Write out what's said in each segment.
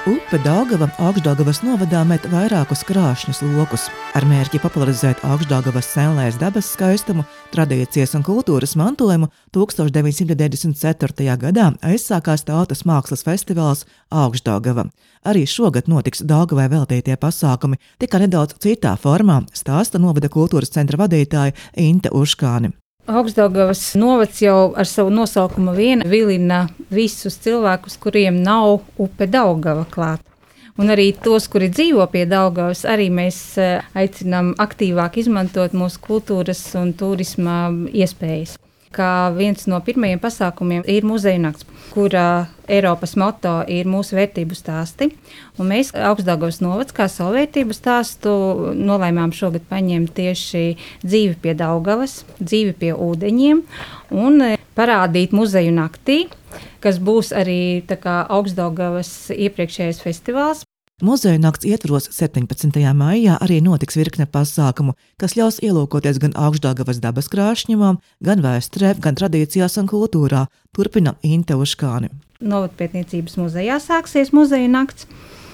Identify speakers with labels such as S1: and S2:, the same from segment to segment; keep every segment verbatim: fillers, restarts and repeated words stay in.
S1: Upe Daugava Augšdaugavas novadā met vairākus krāšņus lokus. Ar mērķi popularizēt Augšdaugavas senlēs dabas skaistumu, tradīcijas un kultūras mantojumu tūkstoš deviņsimt deviņdesmit ceturtajā gadā aizsākās tautas mākslas festivāls Augšdaugava. Arī šogad notiks Daugavai veltītie pasākumi, tikai nedaudz citā formā, stāsta novada kultūras centra vadītāja Inte Uškāne.
S2: Augšdaugavas novads jau ar savu nosaukumu vien vilina visus cilvēkus, kuriem nav upe Daugava klāt. Un arī tos, kuri dzīvo pie Daugavas, arī mēs aicinām aktīvāk izmantot mūsu kultūras un turisma iespējas. Kā viens no pirmajiem pasākumiem ir muzeja nakts, kura Eiropas moto ir mūsu vērtību stāsti. Un mēs Augšdaugavas novads kā savu vērtību stāstu nolēmām šogad paņemt tieši dzīvi pie Daugavas, dzīvi pie ūdeņiem un parādīt muzeju naktī, kas būs arī tā kā Augšdaugavas iepriekšējais festivāls.
S1: Muzeja nakts ietvaros septiņpadsmitajā maijā arī notiks virkne pasākumu, kas ļaus ielūkoties gan Augšdaugavas dabas krāšņumam, gan vēsturē, gan tradīcijās un kultūrā, turpina Inte Uškāne.
S2: Novadpētniecības muzejā sāksies muzeja nakts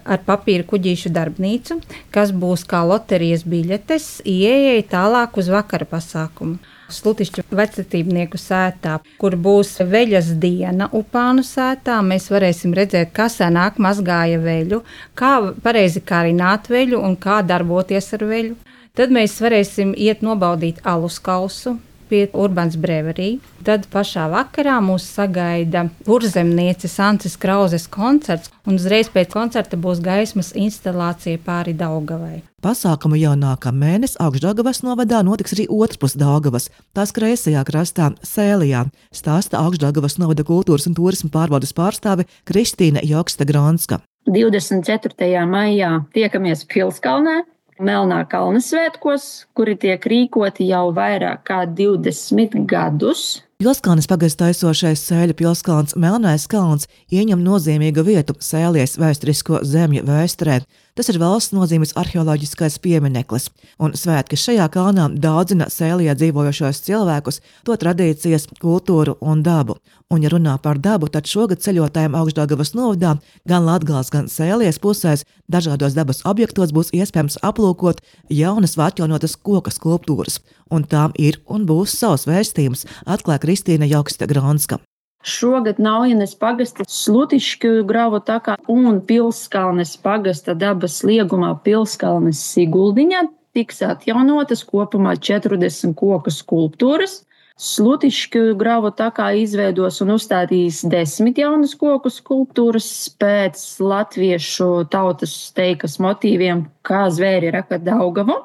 S2: ar papīra kuģīšu darbnīcu, kas būs kā loterijas biļetes ieejai tālāk uz vakara pasākumu. Slutišķu vecatībnieku sētā, kur būs veļas diena Upānu sētā, mēs varēsim redzēt, kā senāk mazgāja veļu, kā pareizi kārināt veļu un kā darboties ar veļu. Tad mēs varēsim iet nobaudīt alus kausu pie Urbans Brewery. Tad pašā vakarā mūs sagaida kurzemnieces Ances Krauzes koncerts, un uzreiz pēc koncerta būs gaismas instalācija pāri Daugavai.
S1: Pasākumu jau nākamā mēnesis Augšdaugavas novadā notiks arī otrpus Daugavas, tās kreisajā krastā Sēlijā, stāsta Augšdaugavas novada kultūras un turisma pārvaldes pārstāve Kristīna Joksta-Gronska.
S3: divdesmit ceturtajā maijā tiekamies Pilskalnē, Melnā kalna svētkos, kuri tiek rīkoti jau vairāk kā divdesmit gadus.
S1: Pilskalnes pagasta aizsošais Sēļu pilskalns Melnais kalns ieņem nozīmīgu vietu Sēlies vēsturisko zemju vēsturē. Tas ir valsts nozīmes arheoloģiskais piemineklis, un svētki šajā kalnā daudzina Sēlijā dzīvojošos cilvēkus, to tradīcijas, kultūru un dabu. Un, ja runā par dabu, tad šogad ceļotājiem Augšdaugavas novadā gan Latgales, gan Sēlies pusēs dažādos dabas objektos būs iespējams aplūkot jaunas vai atjaunotas koka skulptūras, un tām ir un būs savs vēstījums, atklāja Kristīna Joksta-Gronska.
S3: Šogad Naujenes pagasta Slutišķu gravu takā un Pilskalnes pagasta dabas liegumā Pilskalnes Siguldiņā tiks atjaunotas kopumā četrdesmit koku skulptūras. Slutišķu gravu takā izveidos un uzstādīs desmit jaunas koku skulptūras pēc latviešu tautas teikas motīviem, kā zvēri raka Daugavu.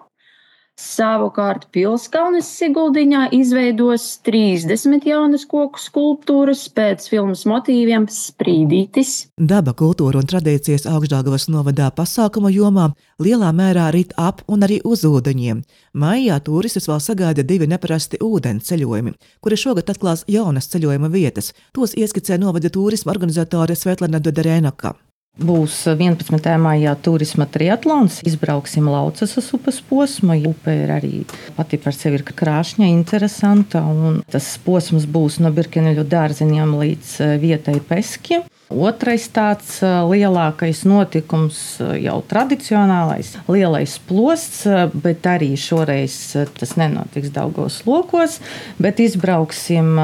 S3: Savukārt Pilskalnes Siguldiņā izveidos trīsdesmit jaunas koku skulptūras pēc filmas motīviem Sprīdītis.
S1: Daba, kultūra un tradīcijas Augšdaugavas novadā pasākumu jomā lielā mērā rit ap un arī uz ūdeņiem. Maijā turistus vēl sagaida divi neparasti ūdens ceļojumi, kuri šogad atklās jaunas ceļojuma vietas. Tos ieskicē novada turisma organizatore Svetlana Doderēnaka.
S4: Būs vienpadsmitajā maijā turisma triatlons, izbrauksim Laucasas upes posmu. Upe ir arī pati par sevi ir krāšņa, interesanta, un tas posms būs no Birkeneļu dārziņiem līdz vietai Peski. Otrais tāds lielākais notikums, jau tradicionālais, lielais plosts, bet arī šoreiz tas nenotiks Daugavas lokos, bet izbrauksim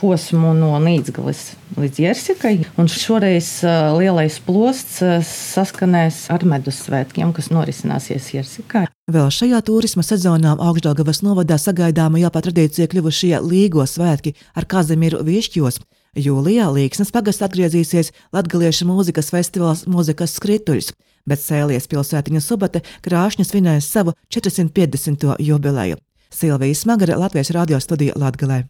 S4: posmu no Nīdzgales līdz Jersikai, un šoreiz lielais plosts saskanēs ar medus svētkiem, kas norisināsies Jersikā.
S1: Vēl šajā turisma sezonā Augšdaugavas novadā sagaidāma jau par tradīciju kļuvušie Līgo svētki ar Kazimieru Višķos. Jūlijā Līksnes pagasts atgriezīsies latgaliešu mūzikas festivāls Mūzikas skrituļs, bet Sēlies pilsētiņa Subate krāšņi svinēs savu četrsimt piecdesmito jubileju. Silvija Smagare, Latvijas radio studija Latgalē.